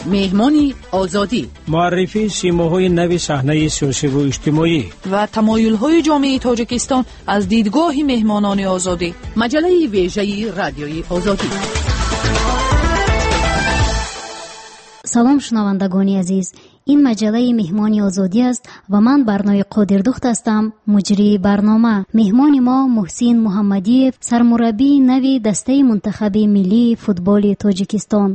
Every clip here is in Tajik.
Меҳмони Озодӣ. Муаррифии симоҳои нави саҳнаи сиёсиву иҷтимоӣ ва тамоюлҳои ҷомеаи Тоҷикистон аз дидгоҳи меҳмонони Озодӣ. Маҷаллаи вежаи Радиои Озодӣ. Салом, шунавандагони азиз. Ин маҷаллаи Меҳмони Озодӣ аст ва ман Барнои Қодирдухт ҳастам, муҷрии барнома. Меҳмони мо Муҳсин Муҳаммадиев, сармураббии нави дастаи мунтахаби миллии футболи Тоҷикистон.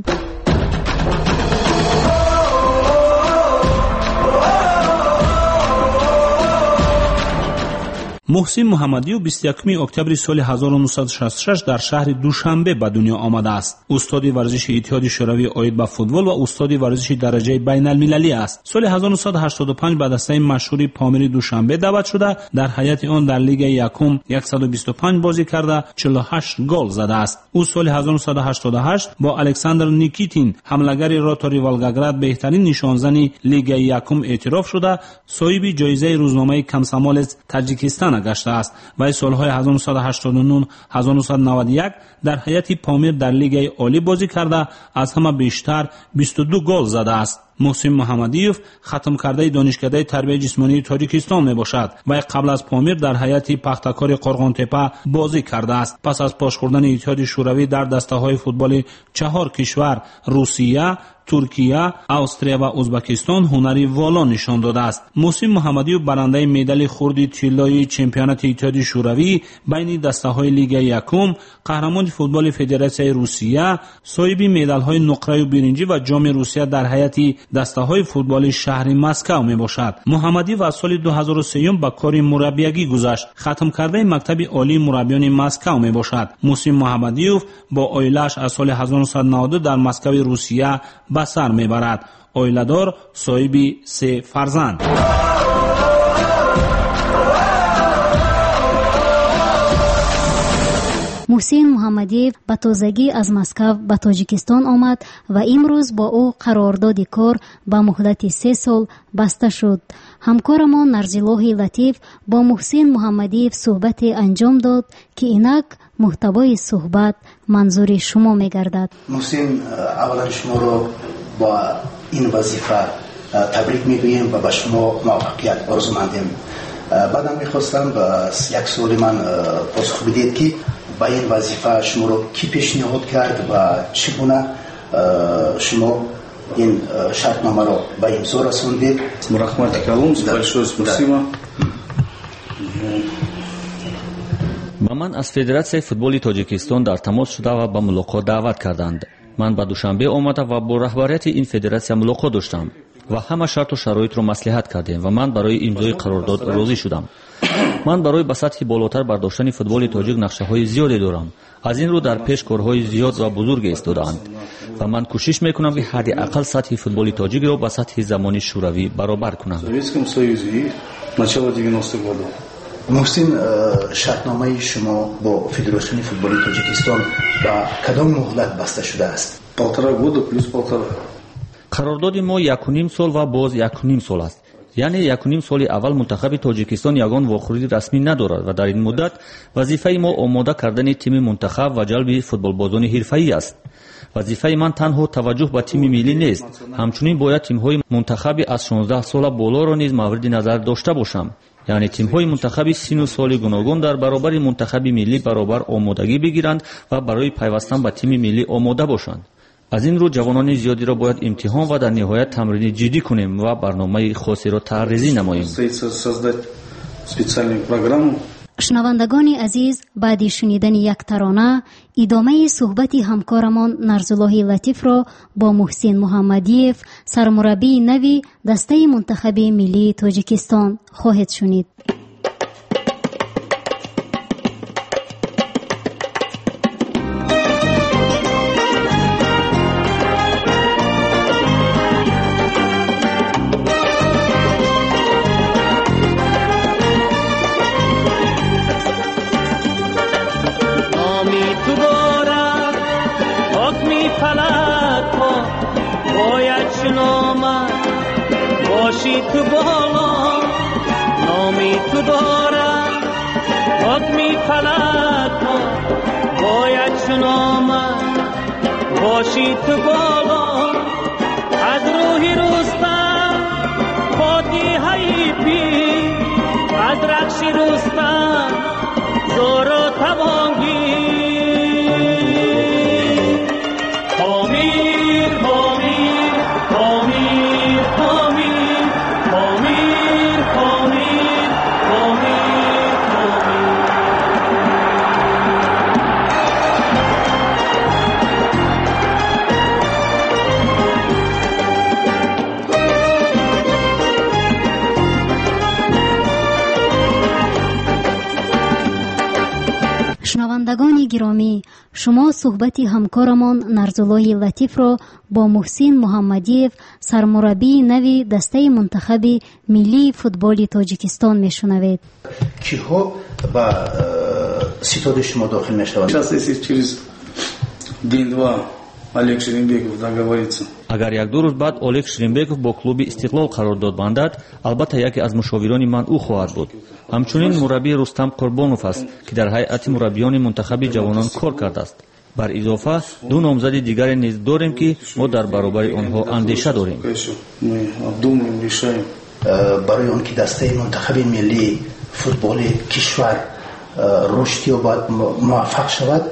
Муҳсин Муҳаммадиев 21 октябри соли 1966 дар шаҳри Душанбе ба дунё омадааст. Устоди варзиши Иттиҳоди Шӯравӣ оид ба футбол ва устоди варзиши дараҷаи байналмилалӣ аст. Соли 1985 ба дастаи машҳури Помири Душанбе даъват шуда, дар ҳайати он дар Лигаи якум 125 бозӣ карда, 48 гол задааст. Ӯ соли 1988 бо Александр Никитин, ҳамлагари Ротори Волгоград, беҳтарин нишонзани Лигаи якум эътироф шуда, соҳиби ҷоизаи рӯзномаи Комсомолец Таҷикистон гаштааст. Вай солҳои 1989-1991 дар ҳайати Помир дар Лигаи олӣ бозӣ карда, аз ҳама бештар 22 гол задааст. Муҳсин Муҳаммадиев хатмкардаи Донишкадаи тарбияи ҷисмонии Тоҷикистон мебошад. Вай қабл аз Помир дар ҳайати Пахтакори Қорғонтепа бозӣ кардааст. Пас аз пош хӯрдани Иттиҳоди Шӯравӣ дар дастаҳои футболи чаҳор кишвар Русия, Туркия, Австрия ва Ӯзбекистон ҳунари воло нишон додааст. Муҳсин Муҳаммадиев барандаи медали хурди тиллои чемпионати Иттиҳоди Шӯравӣ байни дастаҳои Лигаи якум, қаҳрамони футболи Федератсияи Русия, соҳиби медалҳои нуқраю биринҷӣ ва ҷоми Русия дар ҳайати дастаҳои футболи шаҳри Москав мебошад. Муҳаммадиев аз соли 2003 ба кори мураббиягӣ гузашт. Хатмкардаи мактаби олии мураббиёни Москав мебошад. Муҳсин Муҳаммадиев бо оилааш аз соли 1992 дар Москави Русия ба сар мебарад. Оиладор, соҳиби се фарзанд. Муҳсин Муҳаммадиев ба тозагӣ аз Москав ба Тоҷикистон омад ва имрӯз бо ӯ қарордоди кор ба муҳлати 3 сол баста шуд. Ҳамкорамон Нарзилоҳи Латиф бо Муҳсин Муҳаммадиев суҳбате анҷом дод, ки инак муҳтавои суҳбат манзури шумо мегардад. Муҳсин, аввалан шуморо бо ин вазифа табрик мегӯем ва ба шумо муваффақият орзумандем. Баъдам мехостам ба як суоли ман посух бидиҳед, ки ба ин вазифа шуморо кӣ пешниҳод кард ва чӣ гуна шумо ин шартномаро ба имзо расондед? Рахмат калом, большое спасибо. Ба ман аз Федератсияи футболи Тоҷикистон дар тамос шуда ва ба мулоқот даъват карданд. Ман ба Душанбе омада ва бо раҳбарияти ин федератсия мулоқот доштам ва ҳама шарту шароитро маслиҳат кардем ва ман барои имзои қарордод розӣ шудам. Ман барои ба сатҳи болотар бардоштани футболи тоҷик нақшаҳои зиёде дорам. Аз ин рӯ дар пеш корҳои зиёд ва бузурге истодаанд ва ман кӯшиш мекунам, ки ҳадди ақал сатҳи футболи тоҷикро ба сатҳи замони Шӯравӣ баробар кунам. Советском Союзе и начало 90-х годов. Муҳсин, шартномаи шумо бо Федератсияи футболи Тоҷикистон ба кадом муҳлат баста шудааст? Полтора года плюс полтора. Қарордоди мо 1,5 сол ва боз 1,5 сол аст. Яъне 1,5 соли аввал мунтахаби Тоҷикистон ягон вохӯрии расмӣ надорад ва дар ин муддат вазифаи мо омода кардани тими мунтахаб ва ҷалби футболбозони ҳирфаӣ аст. Вазифаи ман танҳо таваҷҷӯҳ ба тими миллӣ нест, ҳамчунин бояд тимҳои мунтахаби аз 16 сола болоро низ мавриди назар дошта бошам. Яъне тимҳои мунтахаби сину соли гуногун дар баробари мунтахаби миллӣ баробар омодагӣ бигиранд ва барои пайвастан ба тими миллӣ омода бошанд. Аз ин рӯ ҷавонони зиёдиро бояд имтиҳон ва дар ниҳоят тамрини ҷиддӣ кунем ва барномаи хосеро тарҳрезӣ намоем. Шунавандагони азиз, баъди шунидани як тарона идомаи суҳбати ҳамкорамон Нарзуллоҳи Латифро бо Муҳсин Муҳаммадиев, сармураббии нави дастаи мунтахаби миллии Тоҷикистон хоҳед шунид. باشی تو بالا نامی تو دارم حکمی فلک ها باید شنامد باشی تو بالا. Соҳробӣ аз рахши Рустам зору тавонгӣ. Помир, Помир, Помир, Помир, Помир, Помир, Помир, Помир. Шунавандагони гиромӣ, шумо суҳбати ҳамкорамон Нарзуллоҳи Латифро бо Муҳсин Муҳаммадиев, сармураббии нави дастаи мунтахаби миллии футболи Тоҷикистон мешунавед. Киҳо ба ситоди шумо дохил мешаванд? Сейчас, если через день-два Олег Шеримбеков договорится. Агар як-ду рӯз баъд Олег Шеримбеков бо клуби Истиқлол қарордод бандад, албатта яке аз мушовирони ман ӯ хоҳад буд. Ҳамчунин мураббии Рустам Қурбонов аст, ки дар ҳайати мураббиёни мунтахаби ҷавонон кор кардааст. Бар изофа ду номзади дигаре низ дорем, ки мо дар баробари онҳо андеша дорем. Мы обдумываем, решаем. Барои он ки дастаи мунтахаби миллии футболи кишвар рушд ёбад, муваффақ шавад,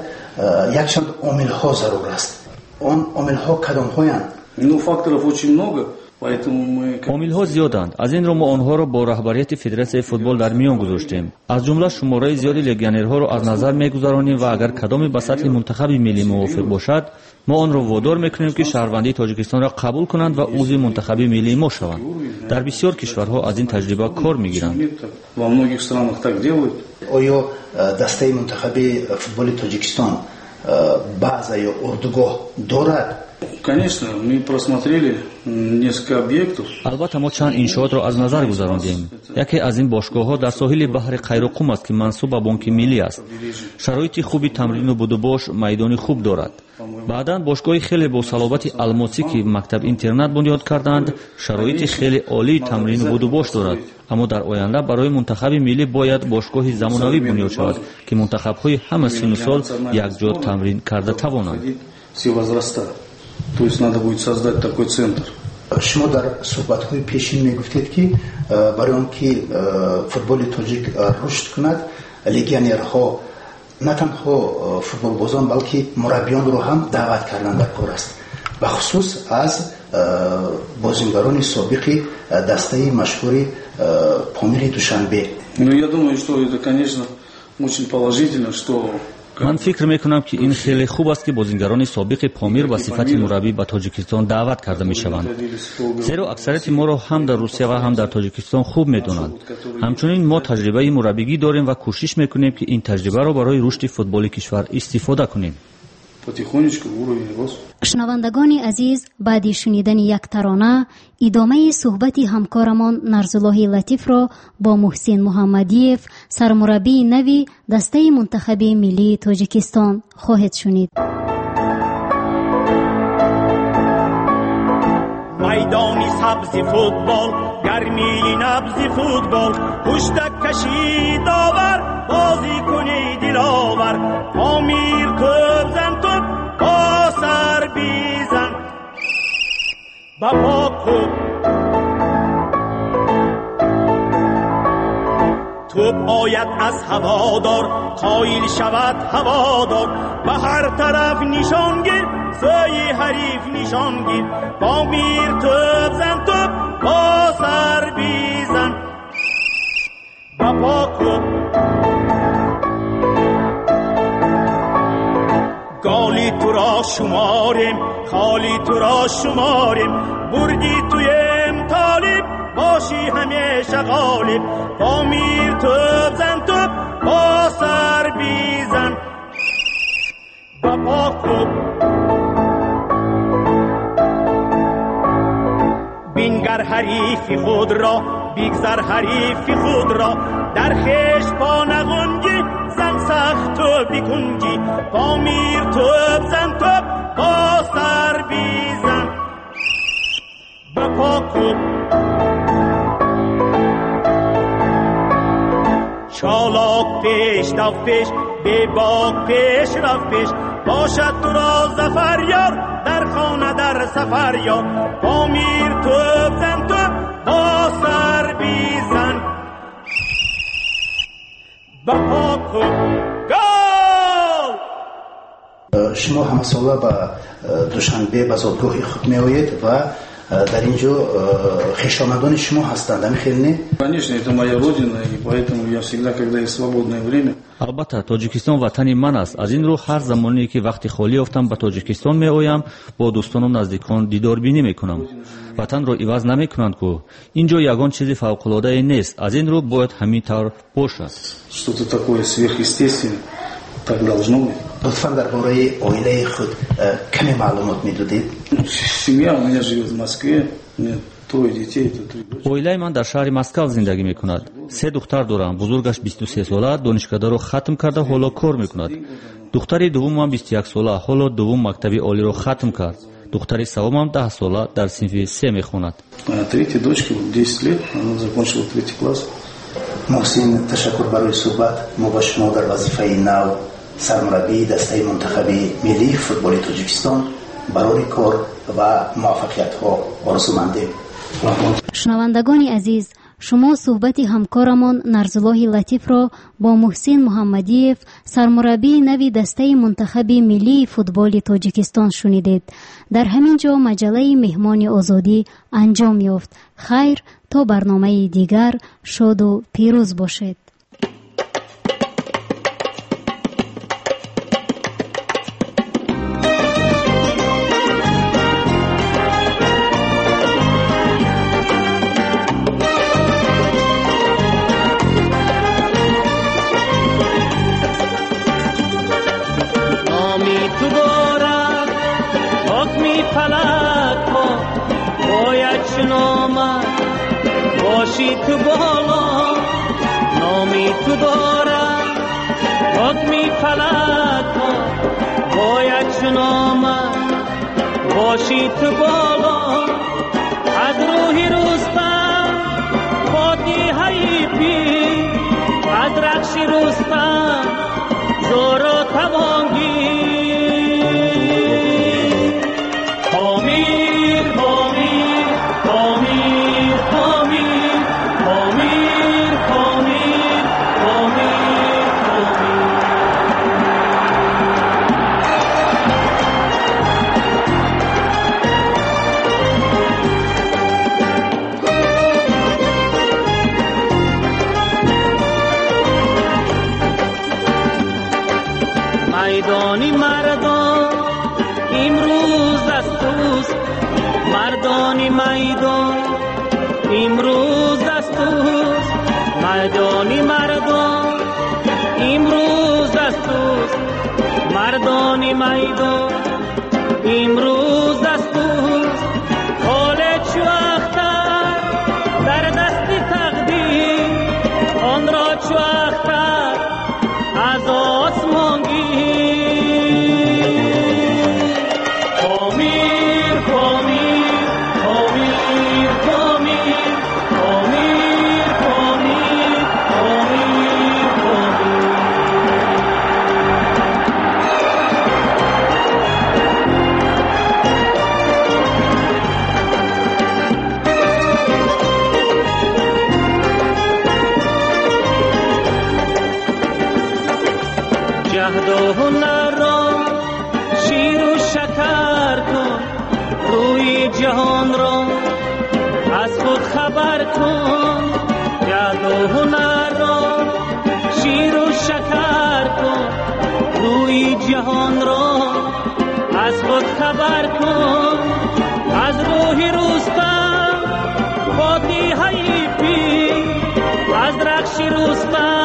якчанд омилҳо зарур аст. Он омилҳо кадомҳоянд? Ну, факторов очень много, поэтому мы... Омилҳо зиёданд. Аз ин рӯ мо онҳоро бо раҳбарияти Федератсияи футбол дар миён гузоштем. Аз ҷумла шумораи зиёди легионерҳоро аз назар мегузаронем ва агар кадоме ба сатҳи мунтахаби миллӣ мувофиқ бошад, мо онро водор мекунем, ки шаҳрвандии Тоҷикистонро қабул кунанд ва узви мунтахаби миллии мо шаванд. Дар бисёр кишварҳо аз ин таҷриба кор мегиранд. Во многих странах так делают. Оё дастаи мунтахаби футболи Тоҷикистон база ё урдугоҳ дорад? Конечно, мы просмотрели несколько объектов. Албатта, мо чанд иншоотро аз назар гузарондем. Яке аз ин бошгоҳҳо дар соҳили баҳри Қайроқум аст, ки мансуб ба Бонки Миллӣ аст. Шароити хуби тамрину будубош, майдони хуб дорад. Баъдан бошгоҳи хеле бо салобати Алмосӣ, ки мактаб-интернат бунёд карданд, шароити хеле олии тамрину будубош дорад. Аммо дар оянда барои мунтахаби миллӣ бояд бошгоҳи замонавӣ бунёд шавад, ки мунтахабҳои ҳама синну сол якҷо тамрин карда тавонанд. Все возраста. То есть надо будет создать такой центр. Шумо дар суҳбатҳои пешин мегуфтед, ки барои он ки футболи тоҷик рушд кунад, легионерҳо, на танҳо футболбозон, балки мураббиёнро ҳам даъват кардан дар кор аст, бахусус аз бозингарони собиқи дастаи машҳури Помири Душанбе. Ну, я думаю, что это, конечно, очень положительно, что Ман фикр мекунам, ки ин хеле хуб аст, ки бозингарони собиқи Помир ба сифати мураббӣ ба Тоҷикистон даъват карда мешаванд, зеро аксарияти моро ҳам дар Русия ва ҳам дар Тоҷикистон хуб медонанд. Ҳамчунин мо таҷрибаи мураббигӣ дорем ва кӯшиш мекунем, ки ин таҷрибаро барои рушди футболи кишвар истифода кунем. Потихонечку уровень рос. Шунавандагони азиз, баъди шунидани як тарона идомаи суҳбати ҳамкорамон Нарзуллоҳи Латифро бо Муҳсин Муҳаммадиев, сармураббии нави дастаи мунтахаби миллии Тоҷикистон, хоҳед шунид. Майдони сабзи футбол, гармии набзи футбол, пуштак каши довар, бозӣ куни диловар. Помир тӯб зан, тӯб бо сар бизан, ба по кӯб. Тӯб ояд аз ҳаводор, қоил шавад ҳаводор, ба ҳар тараф нишон гир, сӯи ҳариф нишон гир. Помир тӯб зан, тӯб бо сар бизан, ба по кӯб. Голи туро шуморем, холи туро шуморем, бурди туем толиб, бошӣ ҳамеша ғолиб. Помир тӯб зан, тӯб бо сар бизан, ба по кӯб. Бингар ҳарифи худро, бигзар ҳарифи худро, дар хеш по нағунҷӣ, зан сахту бикунҷӣ. Помир тӯб зан, тӯб бо сар бизан, ба по кӯб. Чолок пеш дав пеш, бебок пеш рав пеш, бошад туро зафар ёр, дар хона дар сафар ёр. Помир тӯб зан, тӯб бо сар бизан, Ба по кун гол. Шумо ҳамасола ба Душанбе, ба зодгоҳи худ меоед ва дар ин ҷо хешомадони шумо ҳастанд, ҳамин хел не? Конечно, это моя родина, и поэтому я всегда, когда есть свободное время. Албатта, Тоҷикистон ватани ман аст. Аз ин рӯ ҳар замоне ки вақти холӣ ёфтам, ба Тоҷикистон меоям, бо дӯстону наздикон дидорбинӣ мекунам. Ватанро иваз намекунанд ку. Ин ҷо ягон чизи фавқулодае нест, аз ин рӯ бояд ҳамин тавр бошад. Что-то такое сверхъестественное, так должно быть. Лутфан дар бораи оилаи худ каме маълумот медодед? Семья у меня живет в Москве, у меня трое детей, это три дочери. Оилаи ман дар шаҳри Москав зиндагӣ мекунад. Се духтар дорам. Бузургаш 23 сола, донишкадаро хатм карда, ҳоло кор мекунад. Духтари дуввумам 21 сола, ҳоло дуввум мактаби олиро хатм кард. Духтари севумам 10 сола, дар синфи се мехонад. А третья дочка, 10 лет, она закончила третий класс. Муҳсин, ташаккур барои суҳбат. Мо ба шумо дар вазифаи нав, сармураббии дастаи мунтахаби миллии футболи Тоҷикистон, барори кор ва муваффақиятҳо орзумандем. Шунавандагони азиз, шумо суҳбати ҳамкорамон Нарзуллоҳи Латифро бо Муҳсин Муҳаммадиев, сармураббии нави дастаи мунтахаби миллии футболи Тоҷикистон, шунидед. Дар ҳамин ҷо маҷаллаи Меҳмони Озодӣ анҷом ёфт. Хайр, то барномаи дигар шоду пирӯз бошед. Номи ту дорад ҳукми фалакҳо, бояд шиномад бошӣ ту боло. Номи ту дорад ҳукми фалакҳо, бояд шиномад бошӣ ту боло. Аз рӯҳи Рустам фотиҳаи пир, аз рахши Рустам зору тавонгир. Помир, Помир, Помир, Помир, Помир, Помир, Помир, Помир. Майдони мардон имрӯз аз туст, мардони майдон имрӯз аз туст, майдони мардон имрӯз аз туст, мардони майдон имрӯз аз туст. Ҳоле чу ахтар дар дасти тақдир, онро чу ахтар аз осмон гир. Помир, Помир, Помир, Помир, Помир, Помир, Помир, Помир. Ҷаҳду ҳунарро ширу шакар кун, рӯи ҷаҳонро аз худ хабар кун. Ҷаҳду ҳунарро ширу шакар кун, рӯи ҷаҳонро аз худ хабар кун. Аз рӯҳи Рустам фотиҳаи пир, аз рахши Рустам.